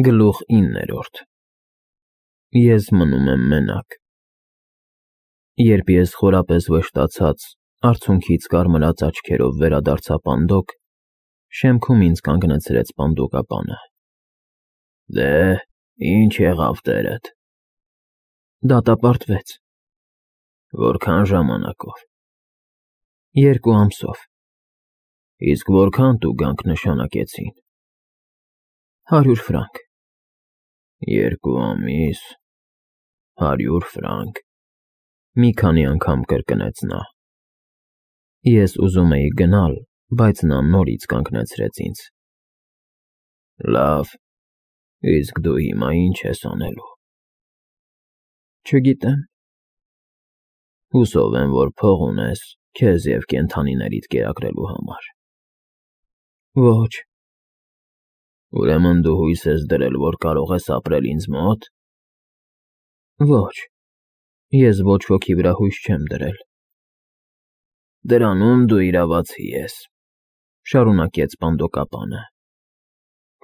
Գլուխ 9 Ես մնում եմ մենակ։ Երբ ես խորապես վշտացած, արցունքից կարմրած աչքերով վերադարձա պանդոկ, շեմքում ինձ կանգնեցրեց պանդոկապանը։ Դե, ինչ եղավ տերդ։ Դատապարտվեց։ Որքան ժամանակով։ 2 ամսով։ Իսկ որքան տուգանք նշանակեցին։ 100 ֆրանկ։ 2 ամիս, 100 ֆրանկ, մի քանի անգամ կրկնեց նա։ Ես ուզում էի գնալ, բայց նա նորից կանգնեցրեց ինձ։ Լավ, իսկ դու հիմա ինչ ես անելու։ Չգիտեմ։ Հուսով եմ, որ փող ունես քեզ և կենդանիներիդ կերակրելու համար։ Ոչ։ Ուրեմն դու հույս ես դրել, որ կարող ես ապրել ինձ մոտ։ Ոչ, ես ոչ ոքի վրա հույս չեմ դրել։ Դրանում դու իրավացի ես, շարունակեց պանդոկապանը։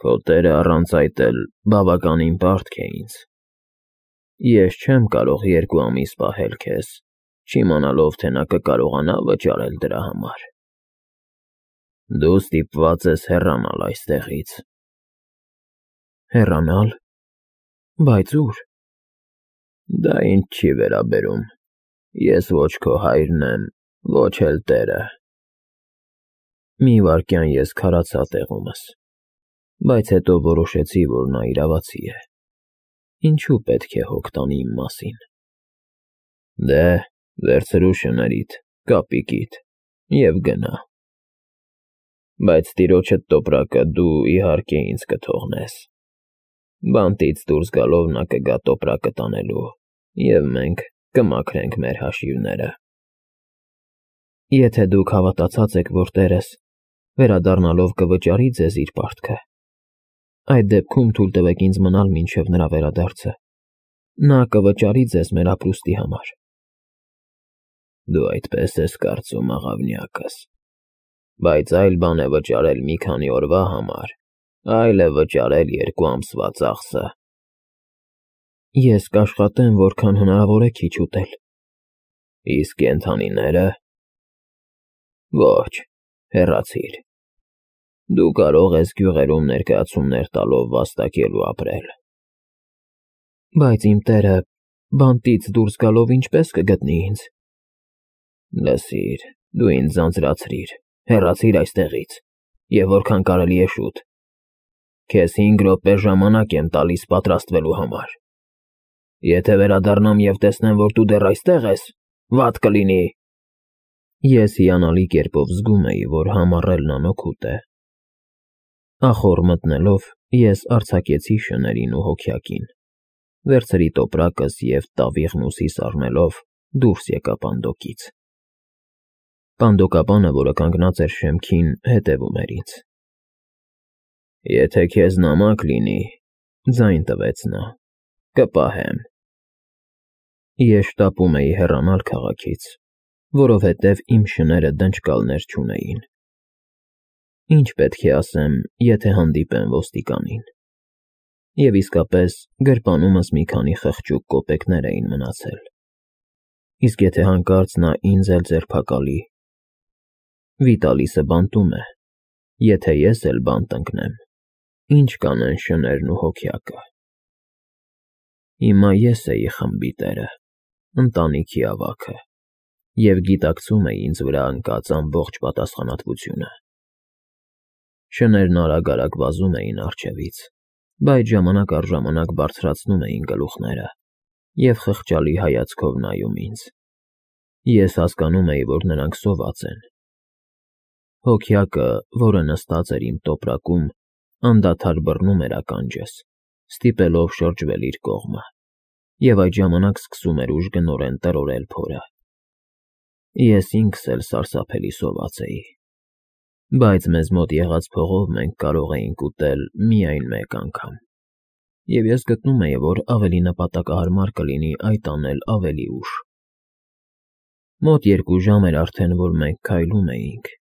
Քո տերը առանց այդ էլ բավականին պարտք է ինձ։ Ես չեմ կարող 2 ամիս պահել քեզ, չիմանալով, թե նա կկարողանա վճարել դրա համար։ Դու ստիպված ես հեռանալ այստեղից։ Հեռանալ։ Բայց ուր։ Դա ինձ չի վերաբերում։ Ես ոչ քո հայրն եմ, ոչ էլ տերը։ Մի վայրկյան ես քարացա տեղումս, բայց հետո որոշեցի, որ նա իրավացի է։ Ինչու պետք է հոգ տանի իմ մասին։ Դե, վերցրու շներիդ, կապիկիդ և գնա։ Բայց տիրոջդ տոպրակը դու իհարկե ինձ կթողնես։ Բանտից դուրս գալով նա կգա տոպրակը տանելու, և մենք կմաքրենք մեր հաշիվները։ Եթե դուք հավատացած եք, որ տերս, վերադառնալով կվճարի ձեզ իր պարտքը, այդ դեպքում թույլ տվեք ինձ մնալ մինչև նրա վերադարձը։ Նա կվճարի ձեզ մեր ապրուստի համար։ Դու այդպես ես կարծում, աղավնյակս, բայց այլ բան է վճարել մի քանի օրվա համար, այլ է վճարել 2 ամսվա ծախսը։ Ես կաշխատեմ, որքան հնարավոր է քիչ ուտել։ Իսկ կենդանիները։ Ոչ, հեռացիր։ Դու կարող ես գյուղերում ներկայացումներ տալով վաստակելու ապրել։ Բայց իմ տերը բանտից դուրս գալով ինչպես կգտնի ինձ։ Լսիր, դու ինձ ձանձրացրիր, հեռացիր այստեղից, և որքան կարելի է շուտ։ Քեզ 5 րոպե ժամանակ եմ տալիս պատրաստվելու համար։ Եթե վերադառնամ և տեսնեմ, որ դու դեռ այստեղ ես, վատ կլինի։ Ես հիանալի կերպով զգում էի, որ համառելն անօգուտ է։ Ախոռ մտնելով, ես արձակեցի շներին ու հոգյակին, վերցրի տոպրակս և տավիղն ուսիս առնելով դուրս եկա պանդոկից։ Պանդոկապանը, որը կանգնած էր շեմքին, հետևում էր ինձ։ Եթե քեզ նամակ լինի, ձայն տվեց նա, կպահեմ։ Ես շտապում էի հեռանալ քաղաքից, որովհետև իմ շները դնճկալներ չունեին։ Ինչ պետք է ասեմ, եթե հանդիպեմ ոստիկանին։ Եվ իսկապես գրպանումս մի քանի խղճուկ կոպեկներ էին մնացել։ Իսկ եթե հանկարծ նա ինձ էլ ձերբակալի։ Վիտալիսը բանտում է, եթե ես էլ բանտ ընկնեմ, ինչ կանեն շներն ու հոգյակը։ Հիմա ես էի խմբի տերը, ընտանիքի ավագը, և գիտակցում էի ինձ վրա ընկած ամբողջ պատասխանատվությունը։ Շներն արագ-արագ վազում էին առջևից, բայց ժամանակ առ ժամանակ բարձրացնում էին գլուխները և խղճալի հայացքով նայում ինձ։ Ես հասկանում էի, որ նրանք սոված են։ Հոգյակը, որը նստած էր իմ տոպրակում, անդադար բռնում էր ականջս, ստիպելով շրջվել իր կողմը, և այդ ժամանակ սկսում էր ուժգնորեն տրորել փորը։ Ես ինքս էլ սարսափելի սոված էի։ Բայց մեզ մոտ եղած փողով մենք կարող էինք ուտել միայն 1 անգամ, և ես գտնում էի, որ ավելի նպատակահարմար կլինի այդ անել ավելի ուշ։ Մոտ 2 ժամ էր արդեն, որ մենք քայլում էինք,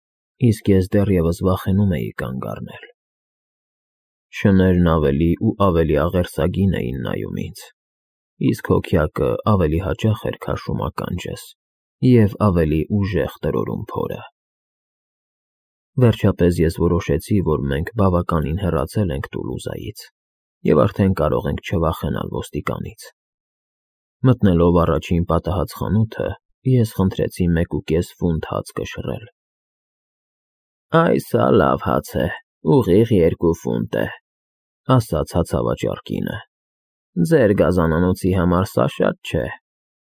իսկ ես դեռևս վախենում էի կանգ առնել։ Շներն ավելի ու ավելի աղերսագին էին նայում ինձ, իսկ հոգյակը ավելի հաճախ էր քաշում ականջս և ավելի ուժեղ տրորում փորը։ Վերջապես ես որոշեցի, որ մենք բավականին հեռացել ենք Տուլուզայից և արդեն կարող ենք չվախենալ ոստիկանից։ Մտնելով առաջին պատահած խանութը, ես խնդրեցի 1.5 ֆունտ հաց կշռել։ «Այս հա լավ հաց է, ուղիղ 2 ֆունտ է», ասաց հացավաճառ կինը։ «Ձեր գազանանոցի համար սա շատ չէ,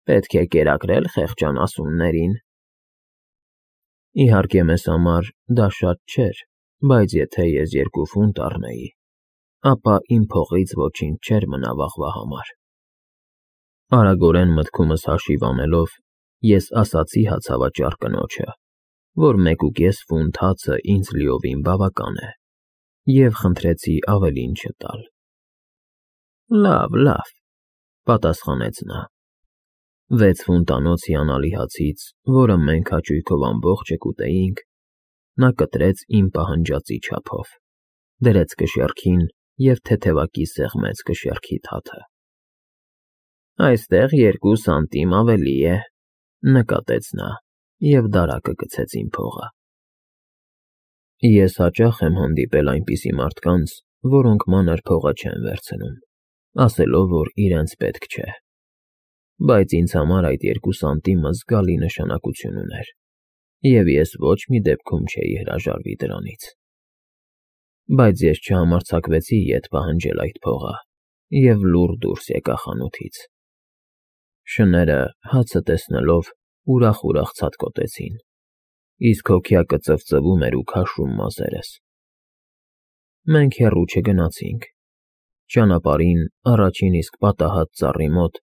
պետք է կերակրել խեղճան ասուններին»։ Իհարկե մեզ համար դա շատ չէր, բայց եթե ես 2 ֆունտ առնեի, ապա իմ փողից ոչինչ չէր մնա վաղվա համար։ Արագորեն մտքումս հաշիվ անելով, ես ասացի հացավաճառ կնոջը, որ 1.5 ֆունտ հացը ինձ լիովին բավական է, և խնդրեցի ավելին չտալ։ Լավ, պատասխանեց նա։ 6 ֆունտանոց հիանալի հացից, որը մենք հաճույքով ամբողջը կուտեինք, նա կտրեց իմ պահանջածի չափով, դրեց կշեռքին և թեթևակի սեղմեց կշեռքի թաթը։ «Այստեղ 2 սանտիմ ավելի է», նկատեց նա և դարակը գցեց իմ փողը։ Ես հաճախ եմ հանդիպել այնպիսի մարդկանց, որոնք մանր փողը չեն վերցնում, ասելով, որ իրենց պետք չէ, բայց ինձ համար այդ 2 սանտիմը զգալի նշանակություն ուներ, և ես ոչ մի դեպքում չէի հրաժարվի դրանից։ Բայց ես չհամարձակվեցի ետ պահանջել այդ փողը և լուռ դուրս եկա խանութից։ Շները, հացը տեսնելով, ուրախ ցատկոտեցին, իսկ հոգյակը ծվծվում էր ու քաշում մազերս։ Մենք հեռու չգնացինք։ Ճանապարհին, առաջին իսկ պատահած ծառի մոտ,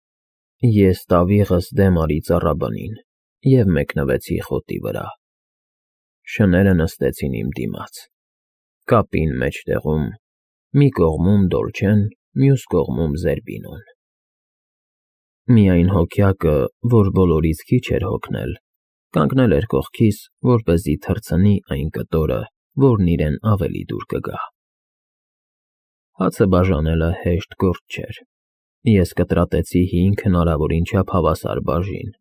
ես տավիղս դեմ արի ծառաբնին և մեկնվեցի խոտի վրա։ Շները նստեցին իմ դիմաց, կապին մեջտեղում, մի կողմում Դոլչեն, մյուս կողմում Զերբինոն։ Միայն հոգյակը, որ բոլորից քիչ էր հոգնել, կանգնել էր կողքիս, որպեսզի թռցնի այն կտորը, որն իրեն ավելի դուր կգա։ Հացը բաժանելը հեշտ գործ չէր։ Ես կտրատեցի 5 հնարավորին չափ հավասար բաժին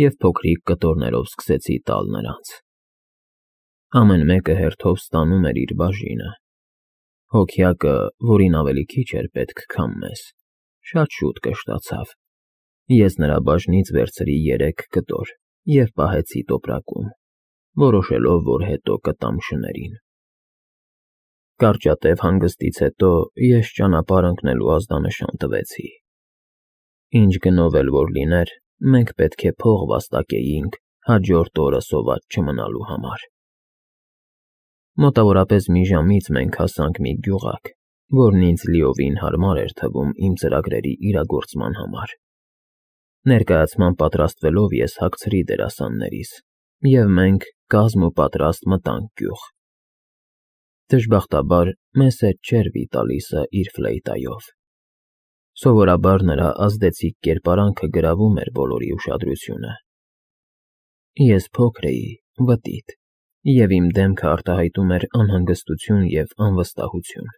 և փոքրիկ կտորներով սկսեցի տալ նրանց։ Ամեն մեկը հերթով ստանում էր իր բաժինը։ Հոգյակը, որին ավելի քիչ էր պետք, քան մեզ, շատ շուտ կշտացավ։ Ես նրա բաժնից վերցրի 3 կտոր և պահեցի տոպրակում, որոշելով, որ հետո կտամ շներին։ Կարճատև հանգստից հետո ես ճանապարհ ընկնելու ազդանշան տվեցի։ Ինչ գնով էլ որ լիներ, մենք պետք է փող վաստակեինք հաջորդ օրը սոված չմնալու համար։ Մոտավորապես մի ժամից մենք հասանք մի գյուղակ, որն ինձ լիովին հարմար էր թվում իմ ծրագրերի իրագործման համար։ Ներկայացման պատրաստվելով ես հագցրի դերասաններիս, և մենք կազմ ու պատրաստ մտանք գյուղ։ Դժբախտաբար, մեզ հետ չէր Վիտալիսը իր ֆլեյտայով։ Սովորաբար նրա ազդեցիկ կերպարանքը գրավում էր բոլորի ուշադրությունը։ Ես փոքր էի, վտիտ, և իմ դեմքը արտահայտում էր անհանգստություն և անվստահություն։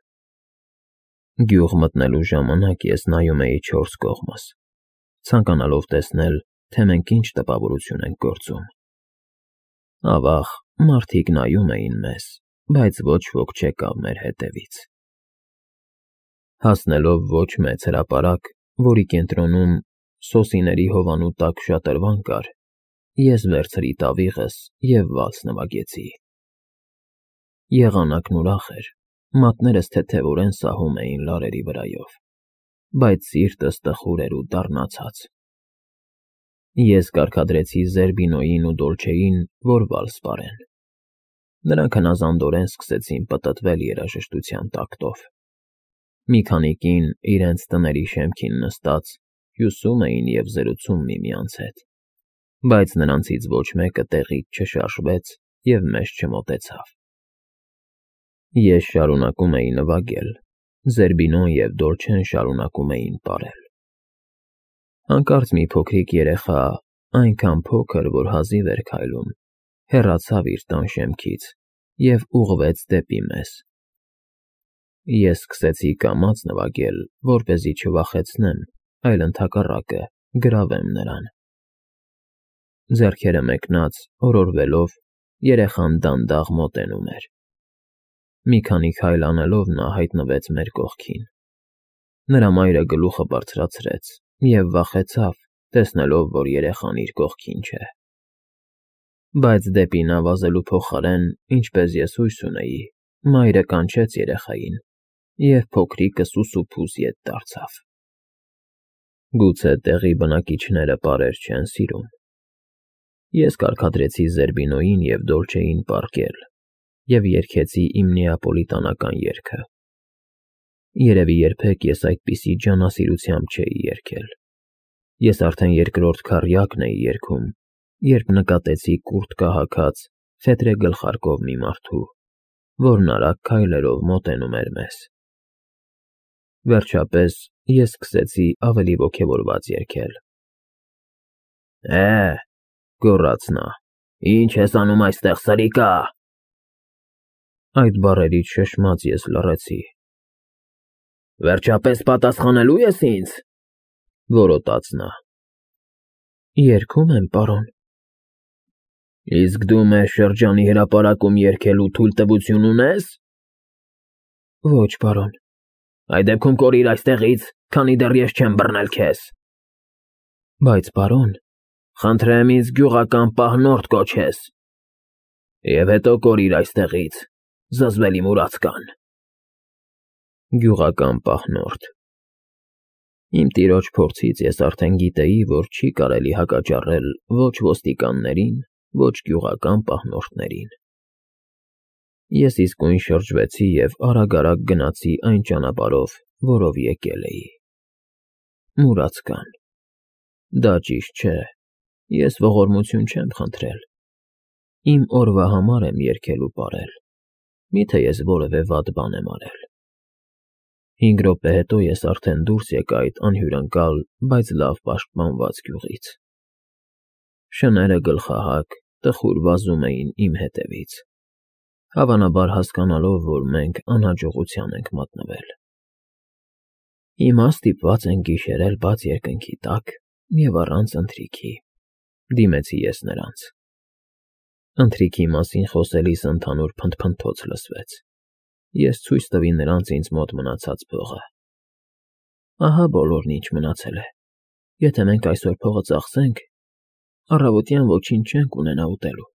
Գյուղ մտնելու ժամանակ ես նայում էի 4 կողմս, ցանկանալով տեսնել, թե մենք ինչ տպավորություն ենք գործում։ Ավաղ, մարդիկ նայում էին մեզ, բայց ոչ ոք չեկավ մեր հետևից։ Հասնելով ոչ մեծ հրապարակ, որի կենտրոնում սոսիների հովանու տակ շատրվան կար, ես վերցրի տավիղս և վալս նվագեցի։ Եղանակն ուրախ էր, մատներս թեթևորեն սահում էին լարերի վրայով, բայց սիրտս տխուր էր ու դառնացած։ Ես կարգադրեցի Զերբինոյին ու Դոլչեին, որ վալս պարեն։ Նրանք հնազանդորեն սկսեցին պտտվել երաժշտության տակտով։ Մի քանի կին իրենց տների շեմքին նստած հյուսում էին և զրուցում միմյանց հետ, բայց նրանցից ոչ մեկը տեղից չշարժվեց և մեզ չմոտեցավ։ Ես շարունակում էի նվագել, Զերբինոն և Դոլչեն շարունակում էին պարել։ Հանկարծ մի փոքրիկ երեխա, այնքան փոքր, որ հազիվ էր քայլում, հեռացավ իր տան շեմքից և ուղղվեց դեպի մեզ։ Ես սկսեցի կամաց նվագել, որպեսզի չվախեցնեմ, այլ ընդհակառակը գրավեմ նրան։ Ձեռքերը մեկնած, օրորվելով, երեխան դանդաղ մոտենում էր։ Մի քանի քայլ անելով նա հայտնվեց մեր կողքին։ Նրա մայրը գլուխը բարձրացրեց և վախեցավ, տեսնելով, որ երեխան իր կողքին չէ։ Բայց դեպի նա վազելու փոխարեն, ինչպես ես հույս ունեի, մայրը կանչեց երեխային, և փոքրիկը սուսուփուս ետ դարձավ։ Գուցե տեղի բնակիչները պարեր չեն սիրում։ Ես կարգադրեցի Զերբինոյին և Դոլչեին պառկել և երգեցի իմ նեապոլիտանական երգը։ Երևի երբեք ես այդպիսի ջանասիրությամբ չէի երգել։ Ես արդեն երկրորդ քառյակն էի երգում, երբ նկատեցի կուրտկա հագած, ֆետրե գլխարկով մի մարդու, որն արագ քայլերով մոտենում էր մեզ։ Վերջապես ես սկսեցի ավելի ոգևորված երգել։ Գոռաց նա, ի՞նչ ես անում այստեղ, սրիկա։ Այդ բառերից շշմած ես լռեցի։ Վերջապես պատասխանելու ես ինձ, որոտաց նա։ Երգում եմ, պարոն։ Իսկ դու մեզ շրջանի հրապարակում երգելու թույլտվություն ունե՞ս։ Ոչ, պարոն։ Այդ դեպքում կորիր այստեղից, քանի դեռ ես չեմ բռնել քեզ։ Բայց, պարոն, խնդրեմ ինձ գյուղական պահնորդ կոչես։ Եվ հետո կորիր այստեղից, զզվելի մուրացկան։ Գյուղական պահնորդ։ Իմ տիրոջ փորձից ես արդեն գիտեի, որ չի կարելի հակաճառել ոչ ոստիկաններին, ոչ գյուղական պահնորդներին։ Ես իսկույն շրջվեցի և արագ-արագ գնացի այն ճանապարհով, որով եկել էի։ Մուրացկան։ Դա ճիշտ չէ, ես ողորմություն չեմ խնդրել։ Իմ օրվա համար եմ երգել ու պարել, միթե ես որևէ վատ բան եմ արել։ 5 րոպե հետո ես արդեն դուրս եկա այդ անհյուրընկալ, բայց լավ պաշտպանված գյուղից։ Շները գլխահակ, տխուր վազում էին իմ հետևից, հավանաբար հասկանալով, որ մենք անհաջողության ենք մատնվել։ Հիմա ստիպված ենք գիշերել բաց երկնքի տակ և առանց ընթրիքի, դիմեցի ես նրանց։ Ընթրիքի մասին խոսելիս ընդհանուր փնթփնթոց լսվեց։ Ես ցույց տվի նրանց ինձ մոտ մնացած փողը։ Ահա բոլորն, ինչ մնացել է։ Եթե մենք այսօր փողը ծախսենք, առավոտյան ոչինչ չենք ունենա ուտելու։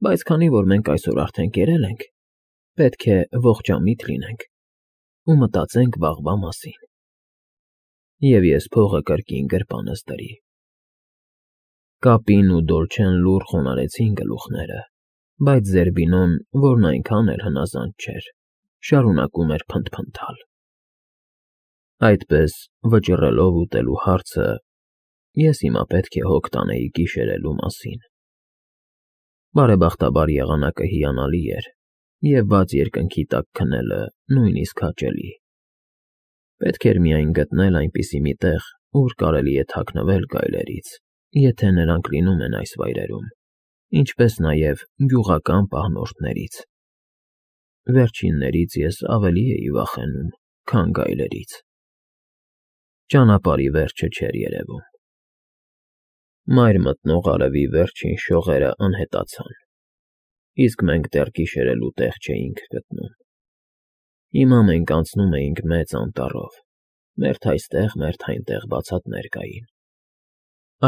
Բայց քանի որ մենք այսօր արդեն կերել ենք, պետք է ողջամիտ լինենք ու մտածենք վաղվա մասին։ Եվ ես փողը կրկին գրպանս դրի։ Կապին ու Դոլչեն լուռ խոնարհեցին գլուխները, բայց Զերբինոն, որն այնքան էլ հնազանդ չէր, շարունակում էր փնթփնթալ։ Այդպես, վճռելով ուտելու հարցը, ես հիմա պետք է հոգ տանեի գիշերելու մասին։ Բարեբախտաբար եղանակը հիանալի էր, և բաց երկնքի տակ քնելը նույնիսկ հաճելի։ Պետք էր միայն գտնել այնպիսի մի տեղ, ուր կարելի է թաքնվել գայլերից, եթե նրանք լինում են այս վայրերում, ինչպես նաև գյուղական պահնորդներից։ Վերջիններից ես ավելի էի վախենում, քան գայլերից։ Ճանապարհի վերջը չէր երևում։ Մայր մտնող արևի վերջին շողերը անհետացան, իսկ մենք դեռ գիշերելու տեղ չէինք գտնում։ Հիմա մենք անցնում էինք մեծ անտառով, մերթ այստեղ, մերթ այնտեղ բացատներ կային։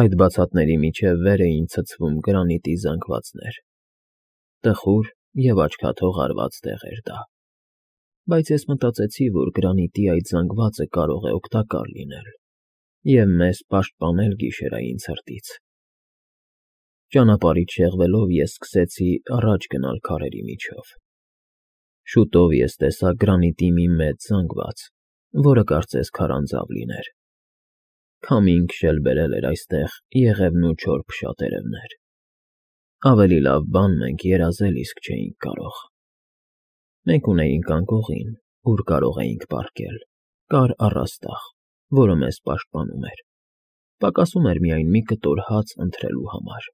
Այդ բացատների միջև վեր էին ցցվում գրանիտի զանգվածներ։ Տխուր և աչքաթող արված տեղ էր դա։ Բայց ես մտածեցի, որ գրանիտի այդ զանգվածը կարող է օգտակար լինել և մեզ պաշտպանել գիշերային ցրտից։ Ճանապարհից շեղվելով ես սկսեցի առաջ գնալ քարերի միջով։ Շուտով ես տեսա գրանիտի մի մեծ զանգված, որը կարծես քարանձավ լիներ։ Քամին քշել բերել էր այստեղ եղևնու չոր փշատերևներ։ Ավելի լավ բան մենք երազել իսկ չէինք կարող։ Մենք ունեինք անկողին, ուր կարող էինք պառկել, կար առաստաղ, որը մեզ պաշտպանում էր։ Պակասում էր միայն մի կտոր հաց ընթրելու համար,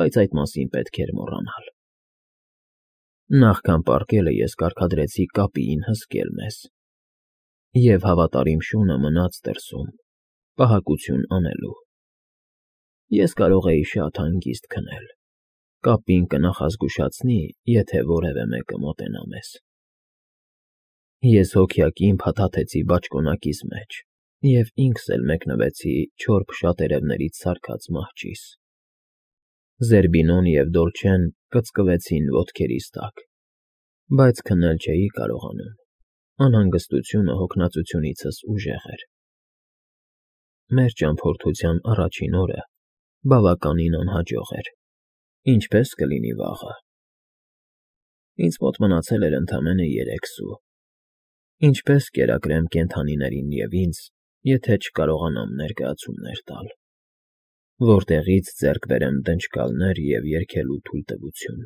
բայց այդ մասին պետք էր մոռանալ։ Նախքան պառկելը ես կարգադրեցի կապիին հսկել մեզ, և հավատարիմ շունը մնաց դրսում, պահակություն անելու։ Ես կարող էի շատ հանգիստ քնել, կապին կնախազգուշացնի, եթե որևէ մեկը մոտենա մեզ։ Ես հոգյակին փաթաթեցի բաճկոնակիս մեջ և ինքս էլ մեկնվեցի չոր փշատերևներից սարքած մահճիս։ Զերբինոն և Դոլչեն կծկվեցին ոտքերիս տակ, բայց քնել չէի կարողանում, անհանգստությունը հոգնածությունիցս ուժեղ էր։ Մեր ճամփորդության առաջին օրը բավականին անհաջող էր, ինչպես կլինի վաղը։ Ինձ մոտ մնացել էր ընդամենը 3 սու։ Ինչպես կերակրեմ կենդանիներին և ինձ, եթե չկարողանամ ներկայացումներ տալ, որտեղից ձեռք բերեմ դնչկալներ և երգելու թույլտվություն։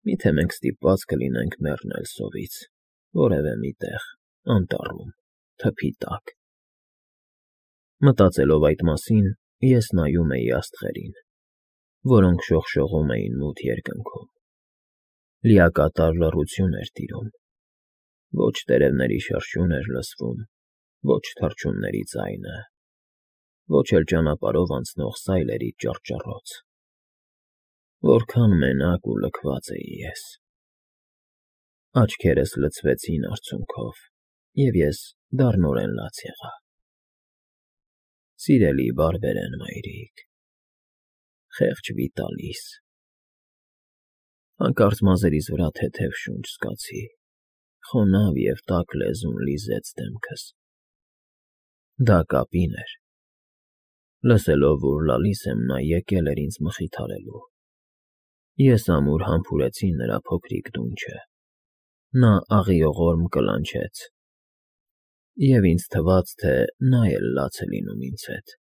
Միթե մենք ստիպված կլինենք մեռնել սովից, որևէ մի տեղ, անտառում, թփի տակ։ Մտածելով այդ մասին, ես նայում էի աստղերին, որոնք շողշողում էին մութ երկնքում։ Լիակատար լռություն էր տիրում։ Ոչ տերևների շրշյուն էր լսվում, ոչ թռչունների ձայնը, ոչ էլ ճանապարհով անցնող սայլերի ճռճռոց։ Որքան մենակ ու լքված էի ես։ Աչքերս լցվեցին արցունքով, և ես դառնորեն լաց եղա։ Սիրելի բարբերեն մայրիկ, խեղճ Վիտալիս… Հանկարծ մազերիս վրա թեթև շունչ զգացի, խոնավ և տաք լեզուն լիզեց դեմքս։ Դա կապին էր։ Լսելով, որ լալիս եմ, նա եկել էր ինձ մխիթարելու։ Ես ամուր համբուրեցի նրա փոքրիկ դունչը։ Նա աղիողորմ կլանչեց, և ինձ թվաց, թե նա էլ լաց է լինում ինձ հետ։